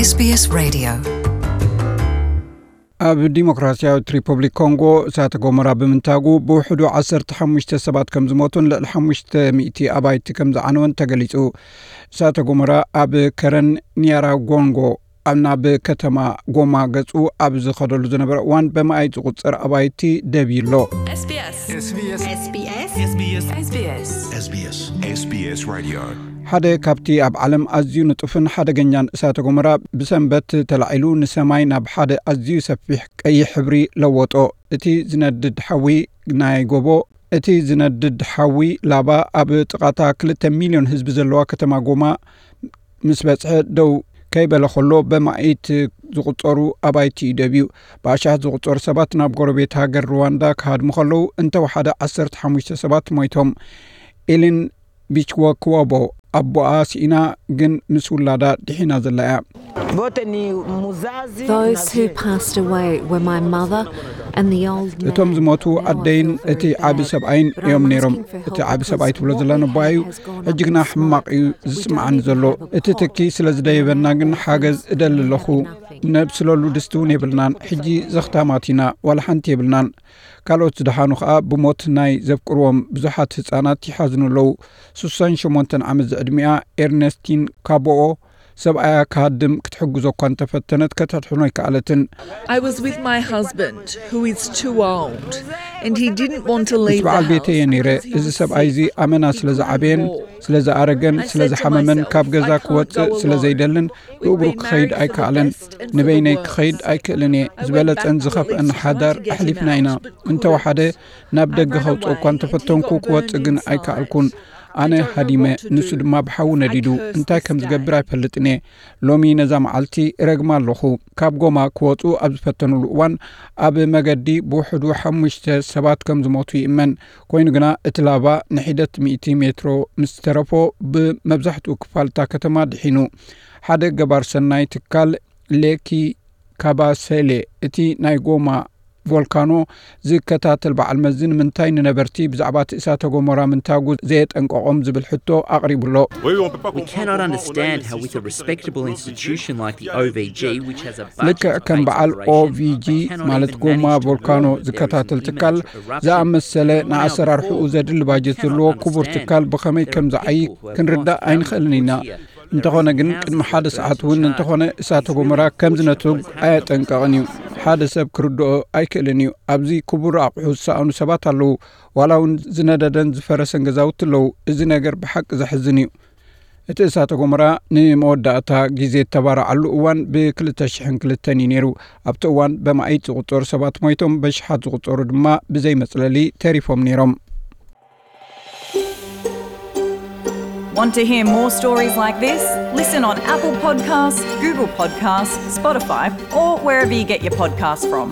SBS Radio. ኣብ ዲሞክራሲያዊት ሪፐብሊክ ኮንጎ እሳተ ጎመራ ብምንታጉ ብውሕዱ ዓሰርተ ሓሙሽተ ሰባት ከም ዝሞቱን ልዕሊ ሓሙሽተ ሚእቲ ኣባይቲ ከም ዝዓነወን ተገሊጹ። እሳተ ጎመራ ኣብ ከረን ኒያራጎንጎ ኣብ ናብ ከተማ ጎማ ገጹ ኣብ ዝኸደሉ ዝነበረ እዋን በመኣይት ዝቑጸር ኣባይቲ ደብዩ ኣሎ። SBS. SBS. SBS. SBS. SBS Radio. ሓደ ካብቲ ኣብ ዓለም ኣዝዩ ንጡፍን ሓደገኛን እሳተ ጎመራ ብሰንበት ተላዒሉ ንሰማይ ናብ ሓደ ኣዝዩ ሰፊሕ ቀይሕ ሕብሪ ለወጦ። እቲ ዝነድድ ሓዊ ናይ ጎቦ እቲ ዝነድድ ሓዊ ላቫ ኣብ ጥቓታ ክልተ ሚልዮን ህዝቢ ዘለዋ ከተማ ጎማ ምስ በጽሐ ደው ከይበለ ከሎ በማኢት ዝቑጸሩ ኣባይቲ እዩ ደብዩ። ብኣሽሓት ዝቑጸሩ ሰባት ናብ ጎረቤት ሃገር ሩዋንዳ ክሃድሙ ከለዉ እንተወሓደ ዓሰርተ ሓሙሽተ ሰባት ሞይቶም። ኤሊን ቢችወክወቦ ኣቦኣ ስኢና ግን ምስ ውላዳ ድሒና ዘላ እያ። Those who passed away were my mother and the old man. እቶም ዝሞቱ ኣደይን እቲ ዓቢ ሰብኣይን እዮም ነይሮም። እቲ ዓቢ ሰብኣይ ትብሎ ዘላ ነቦኣ እዩ። ሕጂ ግና ሕማቕ እዩ ዝስምዓኒ ዘሎ። እቲ ትኪ ስለ ዝደየበና ግን ሓገዝ እደሊ ኣለኹ። ነብስለሉ ድስቲ እውን የብልናን። ሕጂ ዘኽታማት ኢና፣ ዋላ ሓንቲ የብልናን። ካልኦት ዝደሓኑ ከኣ ብሞት ናይ ዘፍቅርዎም ብዙሓት ህጻናት ይሓዝኑ ኣለዉ። ስሳን ሸሞንተን ዓመት ዝዕድሚኣ ኤርነስቲን ካቦኦ ሰብኣያ ክሃድም ክትሕግዞ እኳ እንተፈተነት ከተድሕኖ ኣይከኣለትን። I was with my husband, who is too old, and he didn't want to ምስ leave the በዓል ቤተይ እየ house ነይረ። because he እዚ was ሰብኣይ እዚ sick. ኣመና ስለ ዝዓበየን ስለ ዝኣረገን ስለ ዝሓመመን ካብ ገዛ ክወጽእ ስለ ዘይደልን ብእግሩ ክኸይድ ኣይከኣለን። ንበይነይ ክኸይድ ኣይክእልን እየ። ዝበለጸን ዝኸፍአን ሓዳር ኣሕሊፍና ኢና። እንተወሓደ ናብ ደገ ከውጽእ እኳ እንተፈተንኩ ክወጽእ ግን ኣይከኣልኩን። ኣነ ሃዲመ፣ ንሱ ድማ ብሓዊ ነዲዱ። እንታይ ከም ዝገብር ኣይፈልጥን እየ። ሎሚ ነዛ መዓልቲ ረግማ ኣለኹ። ካብ ጎማ ክወጹ ኣብ ዝፈተኑሉ እዋን ኣብ መገዲ ብውሕዱ ሓሙሽተ ሰባት ከም ዝሞቱ ይእመን። ኮይኑ ግና እቲ ላቫ ንሒደት ሚእቲ ሜትሮ ምስ ተረፎ ብመብዛሕትኡ ክፋል እታ ከተማ ድሒኑ። ሓደ ገባር ሰናይ ትካል ሌኪ ካባሰሌ እቲ ናይ ጎማ ቮልካኖ ዝከታተል በዓል መዚ ንምንታይ ንነበርቲ ብዛዕባ እቲ እሳተ ጎመራ ምንታጉ ዘየጠንቀቖም ዝብል ሕቶ ኣቕሪቡ ኣሎ። We cannot understand how, with a respectable institution like the O V G, which has a budget ልክዕ for ከም AIDS በዓል operation, ኦቪጂ they cannot ማለት even ጎማ manage to ቮልካኖ warn that there is ዝከታተል an ትካል imminent eruption. ዝኣመሰለ We now ንኣሰራርሕኡ fall. ዘድሊ We ባጀት cannot ዘለዎ ክቡር understand. ትካል ብኸመይ ከም ዝዓዪ ክንርዳእ ኣይንኽእልን ኢና። እንተኾነ ግን ቅድሚ ሓደ ሰዓት እውን እንተኾነ እሳተ ጎመራ ከም ዝነትግ ኣየጠንቀቕን እዩ። ሓደ ሰብ ክርድኦ ኣይክእልን እዩ። ኣብዚ ክቡር ኣቑሑ ዝሰኣኑ ሰባት ኣለዉ። ዋላ እውን ዝነደደን ዝፈረሰን ገዛውቲ ኣለዉ። እዚ ነገር ብሓቂ ዘሕዝን እዩ። እቲ እሳተ ጎመራ ንመወዳእታ ግዜ እተባረዓሉ እዋን ብ ክልተ ሽሕን ክልተን እዩ ነይሩ። ኣብቲ እዋን በማኢት ዝቑጸሩ ሰባት ሞይቶም፣ በሽሓት ዝቑጸሩ ድማ ብዘይ መጽለሊ ተሪፎም ነይሮም። Want to hear more stories like this? Listen on Apple Podcasts, Google Podcasts, Spotify, or wherever you get your podcasts from.